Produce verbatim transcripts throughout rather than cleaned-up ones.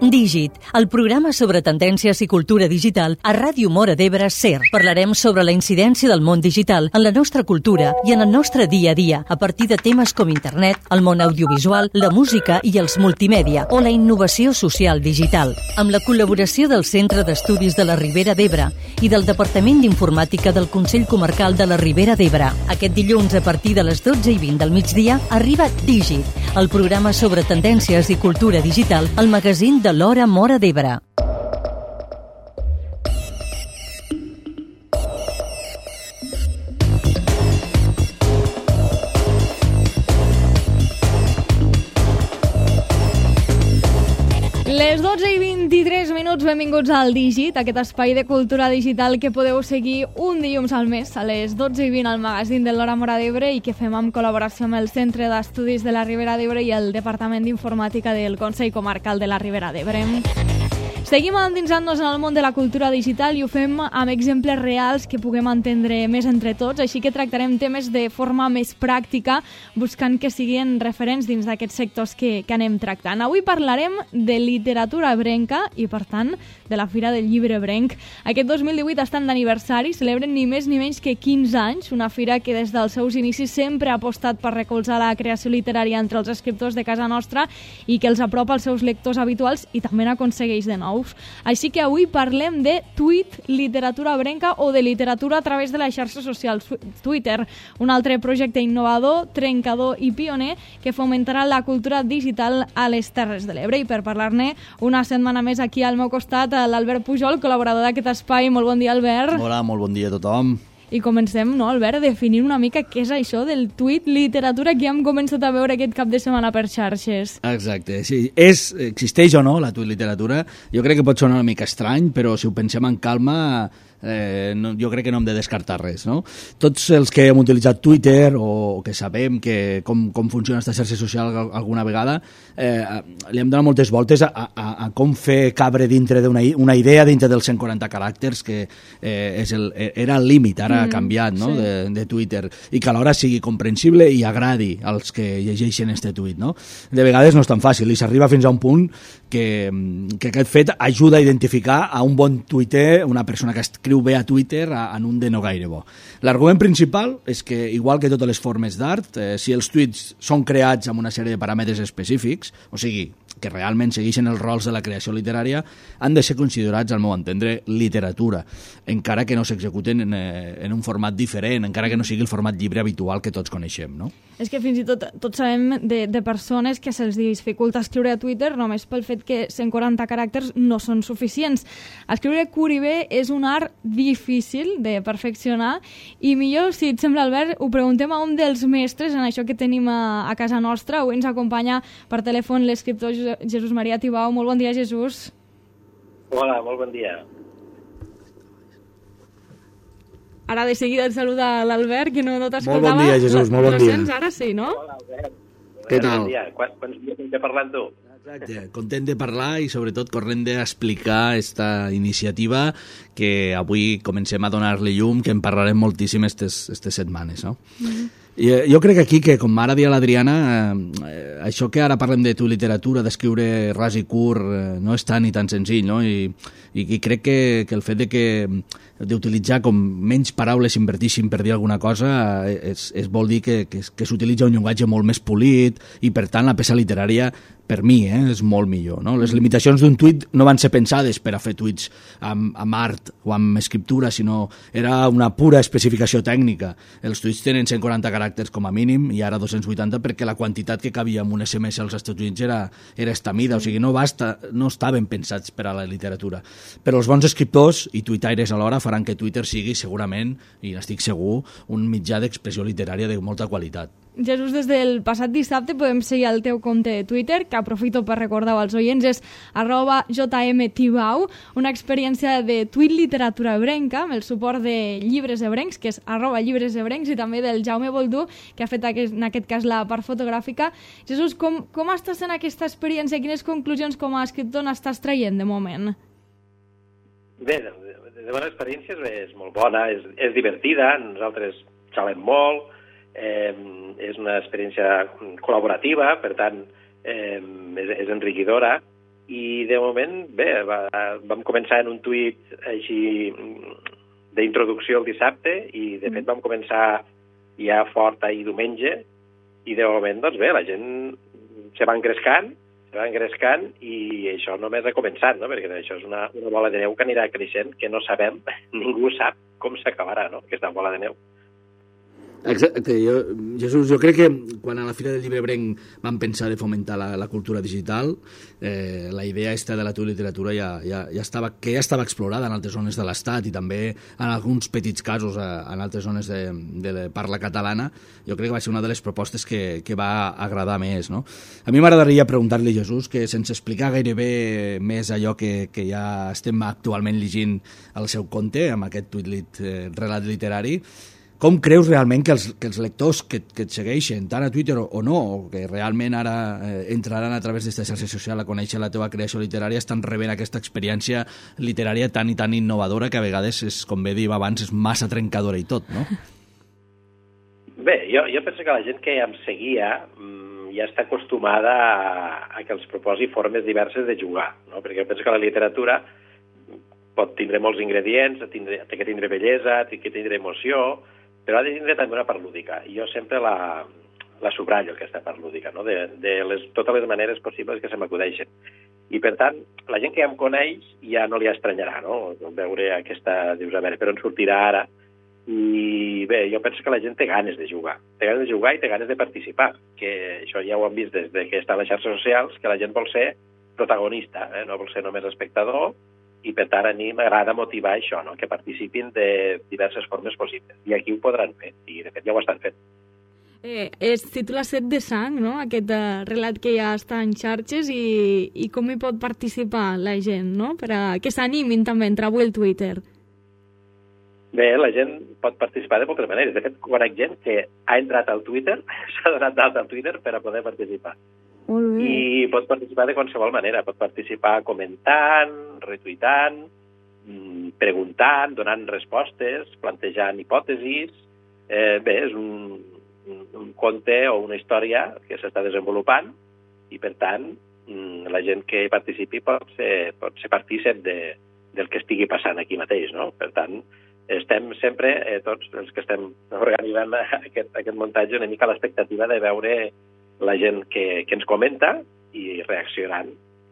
Dígit, el programa sobre tendències i cultura digital a Ràdio Móra d'Ebre SER. Parlarem sobre la incidència del món digital en la nostra cultura i en el nostre dia a dia, a partir de temes com internet, el món audiovisual, la música i els multimèdia o la innovació social digital. Amb la col·laboració del Centre d'Estudis de la Ribera d'Ebre i del Departament d'Informàtica del Consell Comarcal de la Ribera d'Ebre. Aquest dilluns, a partir de les dotze i vint del migdia, arriba Dígit, el programa sobre tendències i cultura digital, al magazín de l'Hora Móra d'Ebre. Les dotze i vint-i-tres minuts, benvinguts al Dígit, aquest espai de cultura digital que podeu seguir un dilluns al mes a les dotze i vint al magazín de l'Hora Móra d'Ebre i que fem amb col·laboració amb el Centre d'Estudis de la Ribera d'Ebre i el Departament d'Informàtica del Consell Comarcal de la Ribera d'Ebre. Seguim endinsant-nos en el món de la cultura digital i ho fem amb exemples reals que puguem entendre més entre tots, així que tractarem temes de forma més pràctica, buscant que siguin referents dins d'aquests sectors que, que anem tractant. Avui parlarem de literatura ebrenca i, per tant, de la Fira del Llibre Ebrenc. Aquest dos mil divuit estan d'aniversari, celebren ni més ni menys que quinze anys, una fira que des dels seus inicis sempre ha apostat per recolzar la creació literària entre els escriptors de casa nostra i que els apropa als seus lectors habituals i també n'aconsegueix de nous. Així que avui parlem de Tweet, literatura ebrenca o de literatura a través de les xarxes socials Twitter, un altre projecte innovador, trencador i pioner que fomentarà la cultura digital a les Terres de l'Ebre. I per parlar-ne una setmana més aquí al meu costat, l'Albert Pujol, col·laborador d'aquest espai. Molt bon dia, Albert. Hola, molt bon dia a tothom. I comencem, no, Albert, definint una mica què és això del tuit, literatura, que hem començat a veure aquest cap de setmana per xarxes. Exacte, sí. És, existeix o no la tuit literatura? Jo crec que pot sonar una mica estrany, però si ho pensem en calma, eh, no, jo crec que no hem de descartar res, no? Tots els que hem utilitzat Twitter o que sabem que com, com funciona aquesta xarxa social alguna vegada, eh, li hem donat moltes voltes a, a, a com fer cabre dintre d'una una idea dintre dels cent quaranta caràcters, que eh, és el, era el límit, ara ha canviat, no? Sí. de, de Twitter, i que alhora sigui comprensible i agradi als que llegeixen este tuit, no? De vegades no és tan fàcil i s'arriba fins a un punt que, que aquest fet ajuda a identificar a un bon tuiter, una persona que escriu bé a Twitter, a, en un de no gaire bo. L'argument principal és que, igual que totes les formes d'art, eh, si els tuits són creats amb una sèrie de paràmetres específics, o sigui, que realment segueixen els rols de la creació literària, han de ser considerats, al meu entendre, literatura, encara que no s'executen en, en un format diferent, encara que no sigui el format llibre habitual que tots coneixem, no? És que fins i tot tots sabem de, de persones que se'ls dificulta escriure a Twitter només pel fet que cent quaranta caràcters no són suficients. Escriure curt i bé és un art difícil de perfeccionar i millor, si et sembla, Albert, ho preguntem a un dels mestres en això que tenim a, a casa nostra. Avui ens acompanya per telèfon l'escriptor Jesús Maria Tibau. Molt bon dia, Jesús. Hola, molt bon dia. Ara de seguida et saluda l'Albert, que no, no t'escoltava. Molt bon dia, Jesús, molt bon dia. Lo sents ara, sí, no? Hola, Albert. Què tal? Bon dia. Quants, quants dies hem de parlar amb tu? Exacte, content de parlar i sobretot corrent d'explicar aquesta iniciativa que avui comencem a donar-li llum, que en parlarem moltíssim estes, estes setmanes, no? Mm-hmm. I, jo crec que aquí, que com ara dia l'Adriana, eh, això que ara parlem de tu literatura, d'escriure ras i curt, eh, no és tan i tan senzill, no? I, i, i crec que, que el fet de que d'utilitzar com menys paraules invertixin per dir alguna cosa és, és vol dir que, que, que s'utilitza un llenguatge molt més polit i, per tant, la peça literària, per mi, eh, és molt millor, no? Les limitacions d'un tuit no van ser pensades per a fer tuits amb, amb art o amb escriptura, sinó era una pura especificació tècnica. Els tuits tenen cent quaranta caràcters com a mínim i ara dos-cents vuitanta perquè la quantitat que cabia en un esse eme esse als Estats Units era, era estamida, o sigui, no, basta, no estaven pensats per a la literatura. Però els bons escriptors i tuitaires alhora faran que Twitter sigui segurament, i n'estic segur, un mitjà d'expressió literària de molta qualitat. Jesús, des del passat dissabte podem seguir el teu compte de Twitter, que aprofito per recordar als oients, és arroba jmtibau, una experiència de tuit literatura ebrenca, amb el suport de llibres ebrencs, que és arroba llibres ebrencs, i també del Jaume Boldú, que ha fet aquest, en aquest cas la part fotogràfica. Jesús, com, com estàs en aquesta experiència? Quines conclusions com a escriptor n'estàs traient de moment? Bé, de, de bona experiència és molt bona, és, és divertida, nosaltres xalem molt, Eh, és una experiència col·laborativa, per tant, eh, és, és enriquidora, i de moment, bé, va, vam començar en un tuit així d'introducció el dissabte i de fet vam començar ja fort ahir diumenge i de moment, doncs bé, la gent se va engrescant, se va engrescant i això només ha començat, no? Perquè això és una, una bola de neu que anirà creixent, que no sabem, ningú sap com s'acabarà, no?, aquesta bola de neu. Exacte, jo, Jesús, jo crec que quan a la Fira del Llibre Ebrenc vam pensar de fomentar la, la cultura digital, eh, la idea esta de la teva literatura ja, ja, ja estava, que ja estava explorada en altres zones de l'Estat i també en alguns petits casos a, en altres zones de, de, de parla catalana. Jo crec que va ser una de les propostes que, que va agradar més, no? A mi m'agradaria preguntar-li, Jesús, que sense explicar gairebé més allò que, que ja estem actualment llegint al seu conte, amb aquest tuit lit, eh, relat literari, com creus realment que els, que els lectors que, que et segueixen, tant a Twitter o, o no, o que realment ara eh, entraran a través d'aquesta xarxa social a conèixer la teva creació literària, estan rebent aquesta experiència literària tan i tan innovadora que a vegades, és, com bé diu abans, és massa trencadora i tot, no? Bé, jo, jo penso que la gent que em seguia mmm, ja està acostumada a, a que els proposi formes diverses de jugar, no? Perquè jo penso que la literatura pot tindre molts ingredients, tindre, té que tindre bellesa, té que tindre emoció, però ha de tindre també una part lúdica. I jo sempre la, la subratllo, aquesta part lúdica, no? de, de les, totes les maneres possibles que se m'acudeixen. I, per tant, la gent que ja em coneix ja no li estranyarà, no? Veure aquesta, dius, a veure, però en sortirà ara. I bé, jo penso que la gent té ganes de jugar. Té ganes de jugar i té ganes de participar, que això ja ho hem vist des de que està a les xarxes socials, que la gent vol ser protagonista, eh? No vol ser només espectador, i per tant a mi m'agrada motivar això, no? Que participin de diverses formes possibles. I aquí ho podran fer, i de fet ja ho estan fent. Eh, es titula Set de sang, no?, aquest uh, relat que ja està en xarxes, i, i com hi pot participar la gent, no?, per a que s'animin també a entrar avui al Twitter. Bé, la gent pot participar de moltes maneres. De fet, conec gent que ha entrat al Twitter, s'ha donat d'alta al Twitter per a poder participar. Molt bé. I pot participar de qualsevol manera. Pot participar comentant, retuitant, preguntant, donant respostes, plantejant hipòtesis. Eh, bé, és un, un conte o una història que s'està desenvolupant i, per tant, la gent que participi pot ser, pot ser partícip de, del que estigui passant aquí mateix, no? Per tant, estem sempre, eh, tots els que estem organitzant aquest, aquest muntatge, una mica a l'expectativa de veure la gent que, que ens comenta i reaccionant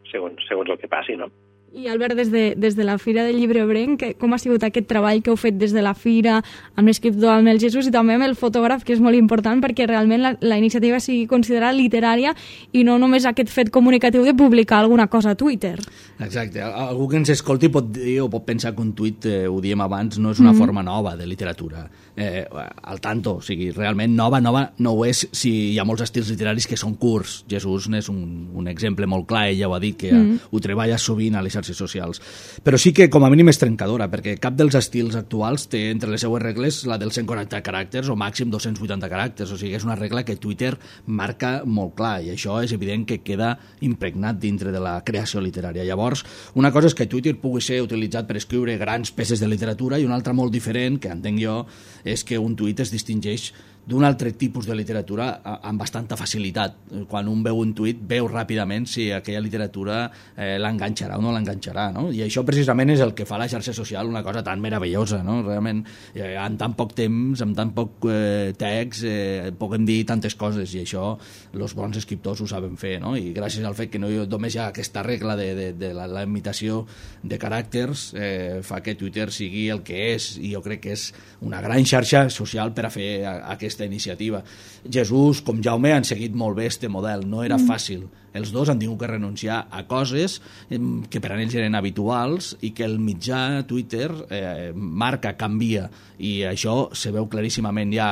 segons, segons el que passi, no? I Albert, des de, des de la Fira del Llibre Ebrenc, com ha sigut aquest treball que heu fet des de la Fira, amb l'escriptor, amb el Jesús i també amb el fotògraf, que és molt important perquè realment la, la iniciativa sigui considerada literària i no només aquest fet comunicatiu de publicar alguna cosa a Twitter? Exacte. Algú que ens escolti pot dir o pot pensar que un tuit, eh, ho diem abans, no és una mm-hmm. forma nova de literatura. Eh, al tanto, o sigui, realment nova, nova no ho és si hi ha molts estils literaris que són curts. Jesús n'és un, un exemple molt clar, ella ho ha dit, que mm-hmm. ho treballa sovint a les xarxes socials. Però sí que com a mínim és trencadora, perquè cap dels estils actuals té entre les seues regles la dels cent quaranta caràcters o màxim dos-cents vuitanta caràcters, o sigui, és una regla que Twitter marca molt clar i això és evident que queda impregnat dintre de la creació literària. Llavors, una cosa és que Twitter pugui ser utilitzat per escriure grans peces de literatura i una altra molt diferent, que entenc jo, és que un tuit es distingeix d'un altre tipus de literatura amb bastanta facilitat. Quan un veu un tuit, veu ràpidament si aquella literatura eh, l'enganxarà o no l'enganxarà, no? I això precisament és el que fa la xarxa social una cosa tan meravellosa, no? Realment, eh, en tan poc temps, amb tan poc eh, text, eh, podem dir tantes coses, i això els bons escriptors ho saben fer, no? I gràcies al fet que no només hi ha aquesta regla de, de, de la, la imitació de caràcters, eh, fa que Twitter sigui el que és, i jo crec que és una gran xarxa social per a fer aquest aquesta iniciativa. Jesús, com Jaume, han seguit molt bé este model. No era fàcil. Els dos han tingut que renunciar a coses que per a ells eren habituals i que el mitjà Twitter eh, marca, canvia, i això se veu claríssimament ja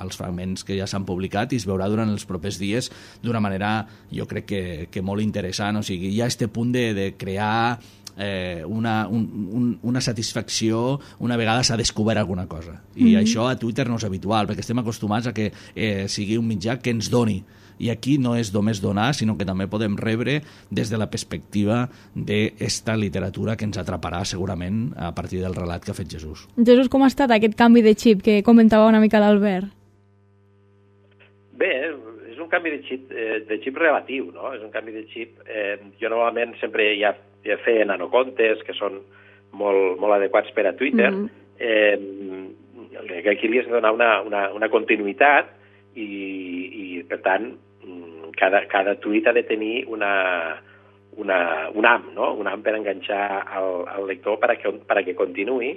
als fragments que ja s'han publicat i es veurà durant els propers dies d'una manera, jo crec que, que molt interessant. O sigui, hi ha este punt de, de crear Eh, una, un, un, una satisfacció una vegada s'ha descobert alguna cosa, i mm-hmm. això a Twitter no és habitual perquè estem acostumats a que eh, sigui un mitjà que ens doni, i aquí no és només donar, sinó que també podem rebre des de la perspectiva d'esta literatura que ens atraparà segurament a partir del relat que ha fet Jesús. Jesús, com ha estat aquest canvi de xip que comentava una mica l'Albert? Bé, és un canvi de xip, eh, de xip relatiu, no? És un canvi de xip. Eh, jo normalment sempre ja, ja feia nanocontes, que són molt, molt adequats per a Twitter, mm-hmm. eh, que aquí li has de donar una, una, una continuïtat i, i per tant, cada, cada tuit ha de tenir una, una, un ham, no? Un ham per enganxar al, al lector per a que, per a que continuï,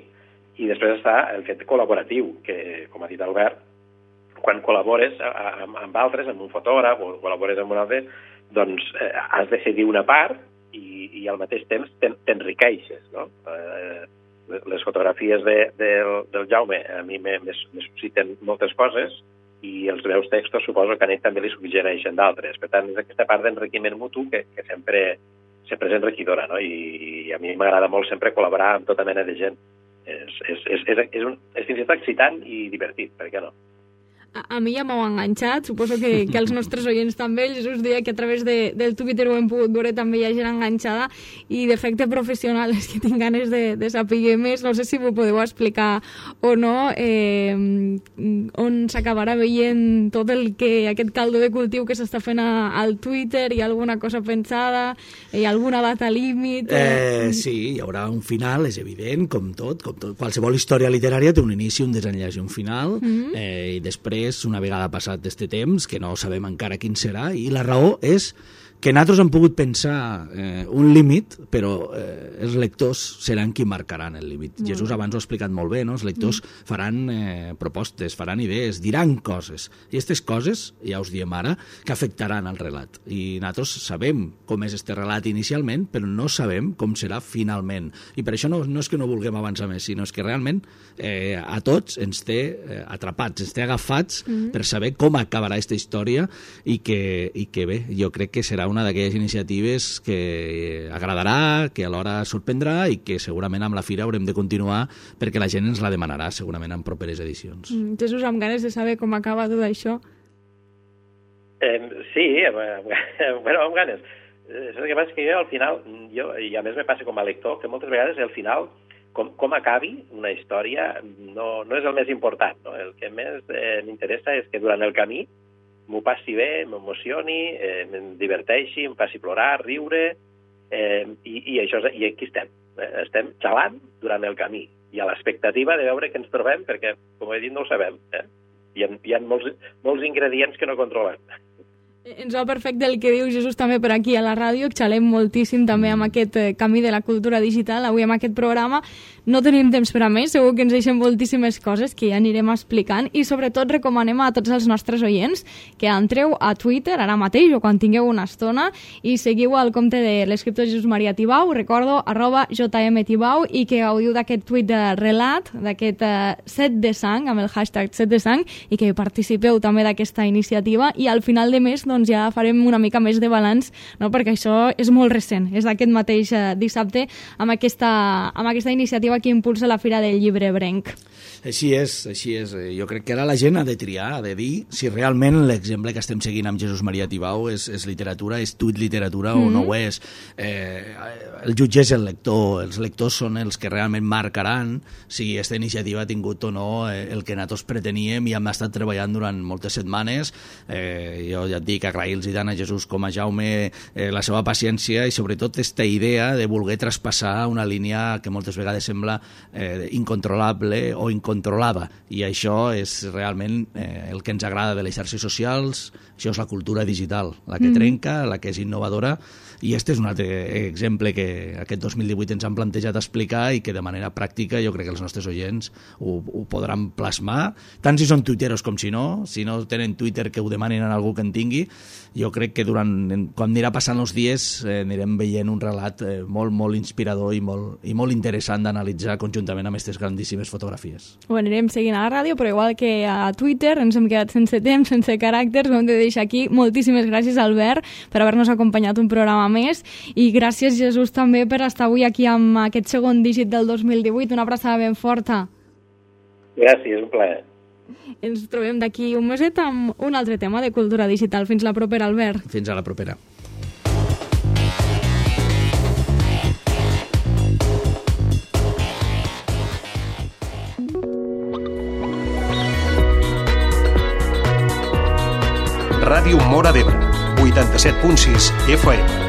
i després està el fet col·laboratiu, que, com ha dit Albert, quan col·labores amb, amb altres, amb un fotògraf o col·labores amb un altre, doncs eh, has de cedir una part i, i al mateix temps t'enriqueixes, no? Eh, les fotografies de, de, del Jaume a mi me, me, me susciten moltes coses i els meus textos suposo que a ell també li suggereixen d'altres. Per tant, és aquesta part d'enriquiment mutu que, que sempre, sempre és enriquidora, no? I, i a mi m'agrada molt sempre col·laborar amb tota mena de gent. És, és, és, és, és, un, és fins i tot excitant i divertit, per què no? A, a mi ja m'heu enganxat, suposo que, que els nostres oients també. El Jesús deia que a través de, del Twitter ho hem pogut veure, també hi ha gent enganxada, i d'efecte professional és que tinc ganes de, de saber més. No sé si ho podeu explicar o no, eh, on s'acabarà veient tot el que, aquest caldo de cultiu que s'està fent a, al Twitter. Hi ha alguna cosa pensada? Hi ha alguna data límit? Eh, sí, hi haurà un final, és evident, com tot, com tot. Qualsevol història literària té un inici, un desenllaç i un final, mm-hmm. eh, i després, una vegada passat este temps, que no sabem encara quin serà, i la raó és que nosaltres hem pogut pensar eh, un límit, però eh, els lectors seran qui marcaran el límit. Mm. Jesús abans ho ha explicat molt bé, no? Els lectors mm. faran eh, propostes, faran idees, diran coses, i aquestes coses, ja us diem ara, que afectaran al relat. I nosaltres sabem com és este relat inicialment, però no sabem com serà finalment. I per això no, no és que no vulguem avançar més, sinó és que realment eh, a tots ens té eh, atrapats, ens té agafats mm. per saber com acabarà aquesta història, i que, i que bé, jo crec que serà una d'aquelles iniciatives que agradarà, que alhora sorprendrà, i que segurament amb la fira haurem de continuar perquè la gent ens la demanarà segurament en properes edicions. Mm, Jesús, amb ganes de saber com acaba tot això. Eh, sí, amb, bueno, amb ganes. Eh, el que passa és que jo al final, jo, i a més me passa com a lector, que moltes vegades al final com, com acabi una història no, no és el més important, no? El que més eh, m'interessa és que durant el camí m'ho passi bé, m'emocioni, eh, em diverteixi, em faci plorar, riure, eh, i, i, això, i aquí estem. Eh? Estem xalant durant el camí i a l'expectativa de veure què ens trobem, perquè, com he dit, no ho sabem. Eh? Hi ha, hi ha molts, molts ingredients que no controlem. Ens va perfecte el que diu Jesús també per aquí a la ràdio. Xalem moltíssim també amb aquest eh, camí de la cultura digital, avui amb aquest programa. No tenim temps per a més, segur que ens deixem moltíssimes coses que ja anirem explicant, i sobretot recomanem a tots els nostres oients que entreu a Twitter ara mateix o quan tingueu una estona i seguiu el compte de l'escriptor Jesús Maria Tibau, recordo, arroba jmtibau, i que gaudiu d'aquest tuit de relat, d'aquest eh, set de sang, amb el hashtag set de sang, i que participeu també d'aquesta iniciativa, i al final de mes doncs ja farem una mica més de balanç, no? Perquè això és molt recent, és d'aquest mateix eh, dissabte amb aquesta, amb aquesta iniciativa que impulsa la Fira del Llibre Brenc. Així és, així és. Jo crec que ara la gent ha de triar, ha de dir si realment l'exemple que estem seguint amb Jesús Maria Tibau és, és literatura, és tuit literatura mm-hmm. o no ho és. Eh, el jutge és el lector, els lectors són els que realment marcaran si aquesta iniciativa ha tingut o no eh, el que nosaltres preteníem i hem estat treballant durant moltes setmanes. Eh, jo ja et dic, agrair-los tant a Jesús com a Jaume eh, la seva paciència i sobretot aquesta idea de voler traspassar una línia que moltes vegades sembla eh, incontrolable o incontrolada, i això és realment eh, el que ens agrada de les xarxes socials. Això és la cultura digital, la que mm. trenca, la que és innovadora, i este és un altre exemple que aquest dos mil divuit ens han plantejat explicar i que de manera pràctica jo crec que els nostres oients ho, ho podran plasmar, tant si són tuiteros com si no, si no tenen Twitter que ho demanin a algú que en tingui. Jo crec que durant, quan anirà passant els dies eh, anirem veient un relat eh, molt, molt inspirador i molt, i molt interessant d'analitzar conjuntament amb aquestes grandíssimes fotografies. Ho anirem seguint a la ràdio, però igual que a Twitter ens hem quedat sense temps, sense caràcters, ho hem de deixar aquí. Moltíssimes gràcies, Albert, per haver-nos acompanyat un programa més, i gràcies, Jesús, també per estar avui aquí amb aquest segon dígit del dos mil divuit. Una abraçada ben forta. Gràcies, un plaer. Ens trobem d'aquí un meset amb un altre tema de cultura digital. Fins la propera, Albert. Fins a la propera. Ràdio Móra d'Ebre, vuitanta-set punt sis F M.